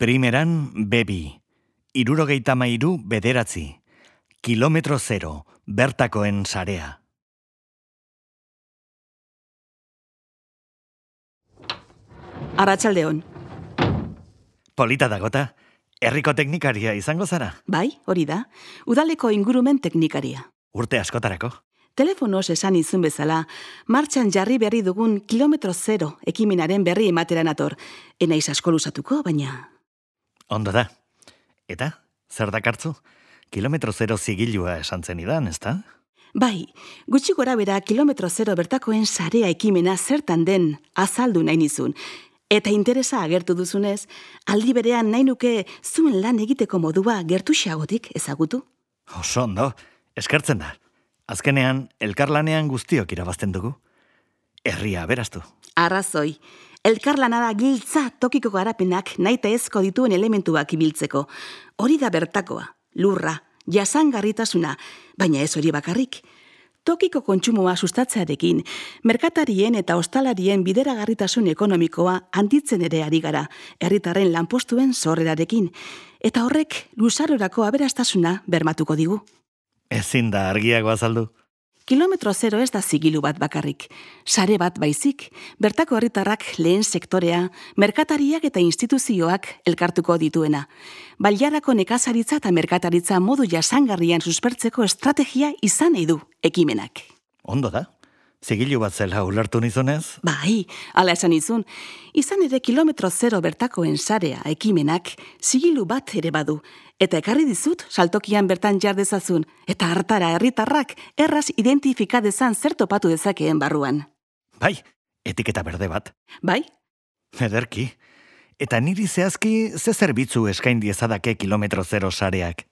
Primeran bebi, 73 bederatzi, kilometro zero, bertakoen sarea. Arratsaldeon. Polita dagota, herriko teknikaria izango zara? Bai, hori da. Udaleko ingurumen teknikaria. Urte askotarako. Telefonoz esan izun bezala, martxan jarri berri dugun kilometro zero ekimenaren berri emateran ator. Enaiz asko luzatuko, baina... Ondo da. Eta, zer dakartzu? Kilometro zero zigilua esan zenidan, ezta? Bai, gutxi gora bera kilometro zero bertakoen sarea ekimena zertan den azaldu nahi nizun. Eta interesa agertu duzunez, aldi berean nahi nuke zuen lan egiteko modua gertuxeagotik ezagutu. Oso ondo, eskertzen da. Azkenean, elkarlanean guztiok irabazten dugu. Herria aberaztu. Arrazoi, elkarlana da giltza tokiko garapenak naita ezko dituen elementuak ibiltzeko. Hori da bertakoa, lurra, jasangarritasuna, baina ez hori bakarrik. Tokiko kontsumoa sustatzearekin, merkatarien eta ostalarien bideragarritasun ekonomikoa handitzen ere ari gara, herritarren lanpostuen sorrerarekin, eta horrek luzarorako aberastasuna bermatuko digu. Ezin da argiago azaldu. Kilometro zero ez da zigilu bat bakarrik, sare bat baizik, bertako herritarrak lehen sektorea, merkatariak eta instituzioak elkartuko dituena. Bailarako nekazaritza eta merkataritza modu jasangarrian suspertzeko estrategia izan nahi du ekimenak. Ondo da. Zigilu bat zela ulertu nizunez? Bai, hala esan izun. Izan ere kilometro zero bertakoen sarea ekimenak zigilu bat ere badu. Eta ekarri dizut saltokian bertan jar dezazun. Eta hartara herritarrak erraz identifika dezan zer topatu dezakeen barruan. Bai, etiketa berde bat. Bai? Ederki. Eta niri zehazki ze zerbitzu eskain diezadake kilometro zero sareak?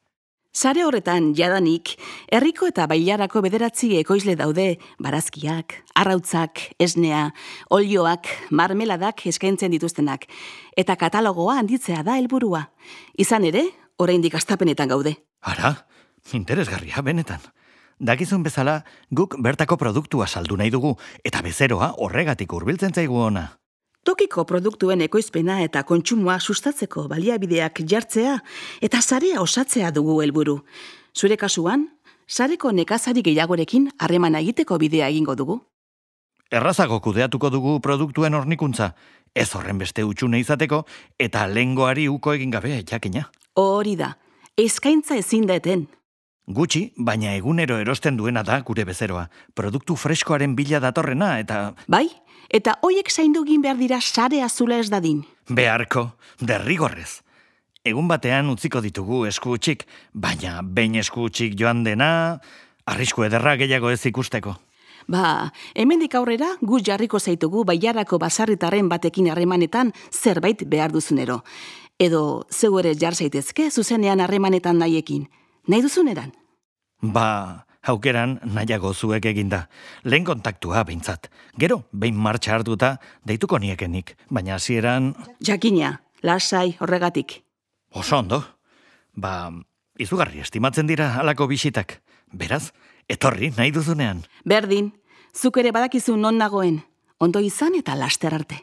Sare horretan jadanik, herriko eta bailarako 9 ekoizle daude, barazkiak, arrautzak, esnea, olioak, marmeladak eskaintzen dituztenak, eta katalogoa handitzea da helburua. Izan ere, oraindik hastapenetan gaude. Ara, interesgarria benetan. Dakizun bezala, guk bertako produktua saldu nahi dugu, eta bezeroa horregatik hurbiltzen zaigu ona. Tokiko produktuen ekoizpena eta kontsumoa sustatzeko baliabideak jartzea eta sarea osatzea dugu helburu. Zure kasuan, sareko nekazari gehiagorekin harremana egiteko bidea egingo dugu. Errazago kudeatuko dugu produktuen hornikuntza, ez horren beste utxune izateko eta lehengoari uko egin gabe jakina. Hori da, eskaintza ezin da eten. Gutxi, baina egunero erosten duena da gure bezeroa. Produktu freskoaren bila datorrena eta... Bai? Eta hoiek zaindu egin behar dira sare azula ez dadin. Beharko, derrigorrez. Egun batean utziko ditugu esku utxik, baina behin esku utxik joan dena, arrisku ederra gehiago ez ikusteko. Ba, hemendik aurrera gu jarriko zaitugu bailarako basarritarren batekin harremanetan zerbait behar duzunero. Edo zeu ere jar zaitezke zuzenean harremanetan nahiekin. Nahi duzuneran? Ba... Aukeran nahiago zuek eginda. Lehen kontaktua behintzat. Gero, behin martxa hartuta, deituko niekenik. Baina hasieran... Jakina, lasai horregatik. Oso ondo. Ba, izugarri estimatzen dira halako bisitak. Beraz, etorri nahi duzunean. Berdin, zuk ere badakizu non nagoen. Ondo izan eta laster arte.